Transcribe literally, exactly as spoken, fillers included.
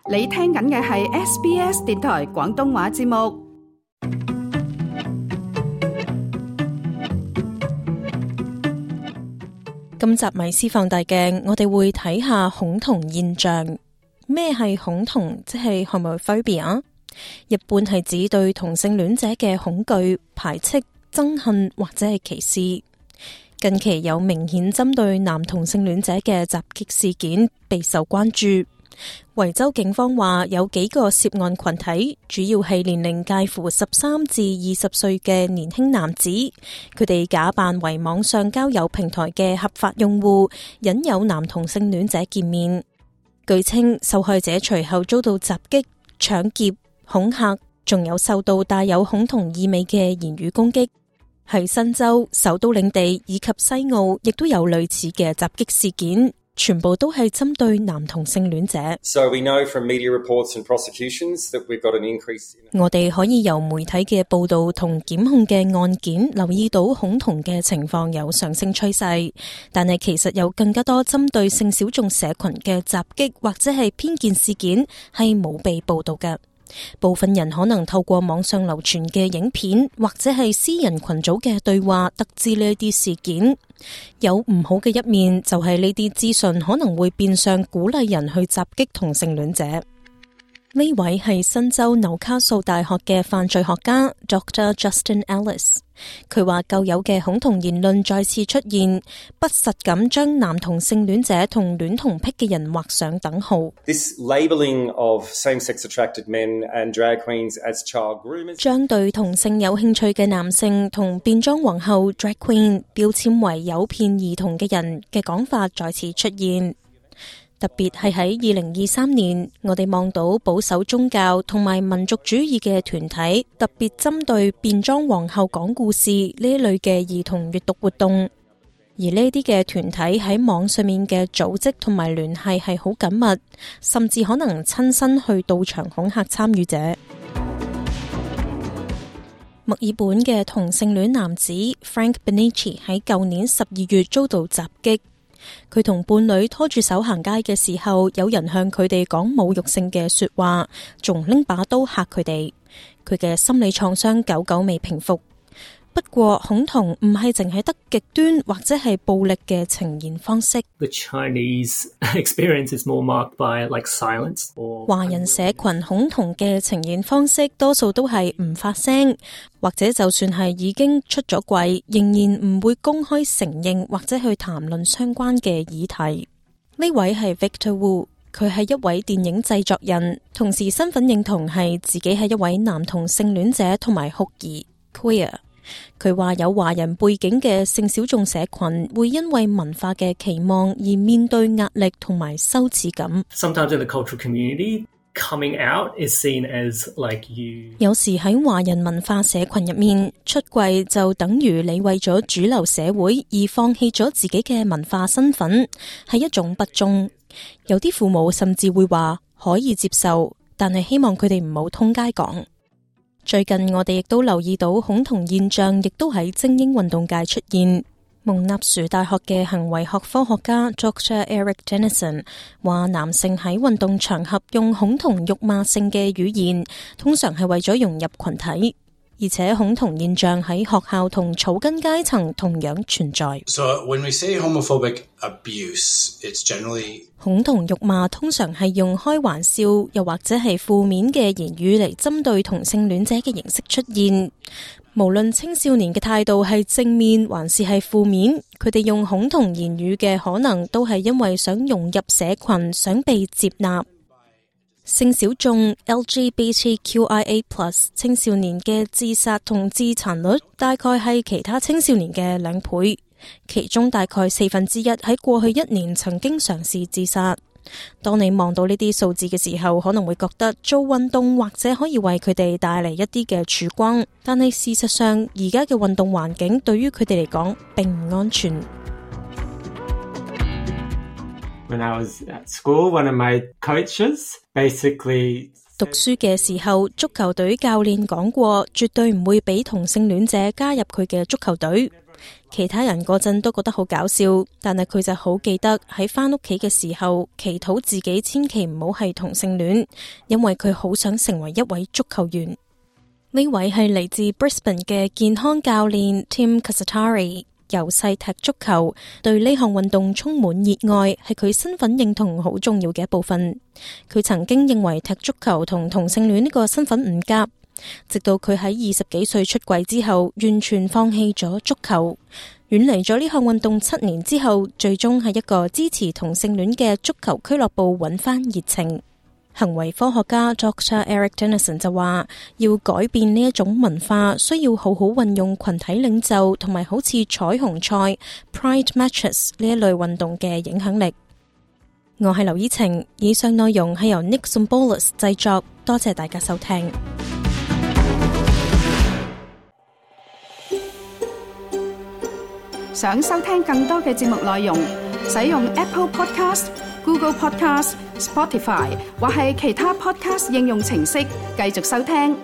你聽緊嘅係 S B S 電台廣東話節目。今集迷思放大鏡，我哋會睇下恐同現象。咩係恐同？即係 homophobia。一般係指對同性戀者嘅恐懼、排斥、憎恨或者係歧視。近期有明顯針對男同性戀者嘅襲擊事件備受關注。維州警方話有幾個涉案群體，主要係年齡介乎十三至二十歲嘅年輕男子，佢哋假扮為網上交友平台嘅合法用戶，引誘男同性戀者見面。據稱，受害者隨後遭到襲擊、搶劫、恐嚇，仲有受到帶有恐同意味嘅言語攻擊。喺新州、首都領地以及西澳，亦都有類似嘅襲擊事件。全部都係針對男同性戀者。So we know from media reports and prosecutions that we've got an increase in... 我哋可以由媒體嘅報道同檢控嘅案件留意到恐同嘅情況有上升趨勢，但係其實有更加多針對性小眾社群嘅襲擊或者係偏見事件係冇被報道嘅。部分人可能透過網上流傳嘅影片或者係私人群組嘅對話得知呢啲事件。有唔好嘅一面，就係呢啲資訊可能會變相鼓勵人去襲擊同性戀者。呢位係新州紐卡素大學嘅犯罪學家 Doctor Justin Ellis， 佢話舊有嘅恐同言論再次出現，不實咁將男同性戀者同戀童癖嘅人畫上等號。This labeling of same-sex attracted men and drag queens as child groomers， 將對同性有興趣嘅男性同變裝皇后 drag queen 標籤為誘騙兒童嘅人嘅講法再次出現。特別係喺二零二三年，我哋望到保守宗教同埋民族主義嘅團體特別針對變裝皇后講故事呢一類嘅兒童閱讀活動，而呢啲嘅團體喺網上面嘅組織同埋聯繫係好緊密，甚至可能親身去到場恐嚇參與者。墨爾本嘅同性戀男子 Frank Benici 喺舊年十二月遭到襲擊。佢同伴侶拖住手行街嘅時候，有人向佢哋講侮辱性嘅說話，仲拎把刀嚇佢哋。佢嘅心理創傷久久未平復。不過恐同唔係淨係得極端或者係暴力嘅呈現方式。The Chinese experience is more marked by like silence or... 華人社群恐同嘅呈現方式多數都係唔發聲，或者就算係已經出咗櫃，仍然唔會公開承認或者去談論相關嘅議題。呢位係 Victor Wu， 佢係一位電影製作人，同時身份認同係自己係一位男同性戀者同埋酷兒 queer。佢話有華人背景嘅性小眾社群會因為文化嘅期望而面對壓力同埋羞恥感。Sometimes in the cultural community, coming out is seen as like you. 有時喺華人文化社群入面，出櫃就等於你為咗主流社會而放棄咗自己嘅文化身份，係一種不忠。有啲父母甚至會話可以接受，但係希望佢哋唔好通街講。最近我哋亦都留意到恐同現象，亦都喺精英運動界出現。蒙納殊大學嘅行為學科學家 Doctor Eric Dennison 話，男性喺運動場合用恐同辱罵性嘅語言，通常係為咗融入群體。而且恐同現象喺學校同草根階層同樣存在。So when we say homophobic abuse, it's generally 恐同辱罵通常係用開玩笑又或者係負面嘅言語嚟針對同性戀者嘅形式出現。無論青少年嘅態度係正面還是係負面，佢哋用恐同言語嘅可能都係因為想融入社群，想被接納。性小眾 L G B T Q I A plus 青少年嘅自殺同自殘率大概係其他青少年嘅兩倍，其中大概四分之一喺過去一年曾經嘗試自殺。當你望到呢啲數字嘅時候，可能會覺得做運動或者可以為佢哋帶嚟一啲嘅曙光，但係事實上而家嘅運動環境對於佢哋嚟講並唔安全。When I was at school, one of my coaches basically 讀書嘅時候，足球隊教練講過，絕對唔會俾同性戀者加入佢嘅足球隊。其他人嗰陣都覺得好搞笑，但係佢就好記得喺返屋企嘅時候，祈禱自己千祈唔好係同性戀，因為佢好想成為一位足球員。呢位係嚟自 Brisbane 嘅健康教練 Tim Casatari， 由細踢足球，對呢項運動充滿熱愛，係佢身份認同好重要嘅一部分。佢曾經認為踢足球同同性戀呢個身份唔夾，直到佢喺二十幾歲出櫃之後，完全放棄咗足球，遠離咗呢項運動七年之後，最終喺一個支持同性戀嘅足球俱樂部揾翻熱情。行為科學家 Doctor Eric Dennison 就話，要改變呢一種文化，需要好好運用群體領袖同埋好似彩虹賽 Pride Matches 呢一類運動嘅影響力。我係劉依晴，以上內容係由 Nick Zombolis 製作，多謝大家收聽。想收聽更多嘅節目內容，使用 Apple Podcast、Google Podcast、Spotify 或係其他 Podcast 應用程式繼續收聽。